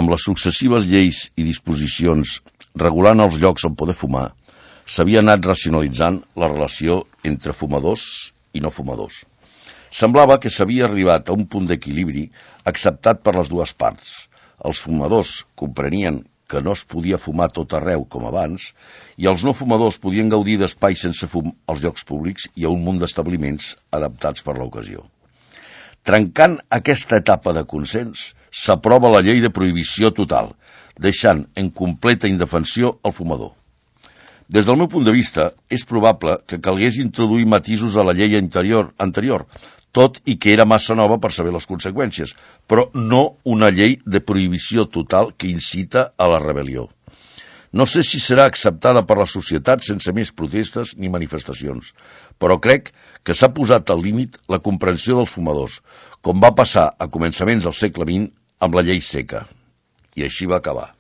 amb les successives lleis i disposicions regulant els llocs on poder fumar, s'havia anat racionalitzant la relació entre fumadors i no fumadors. Semblava que s'havia arribat a un punt d'equilibri acceptat per les dues parts. Els fumadors comprenien que no es podia fumar tot arreu com abans i els no fumadors podien gaudir d'espais sense fum als llocs públics i a un munt d'establiments adaptats per l'ocasió. Trencant aquesta etapa de consens, s'aprova la llei de prohibició total, deixant en completa indefensió el fumador. Des del meu punt de vista, és probable que calgués introduir matisos a la llei anterior, tot i que era massa nova per saber les conseqüències, però no una llei de prohibició total que incita a la rebel·lió. No sé si serà acceptada per la societat sense més protestes ni manifestacions, però crec que s'ha posat al límit la comprensió dels fumadors, com va passar a començaments del segle XX amb la llei seca. I així va acabar.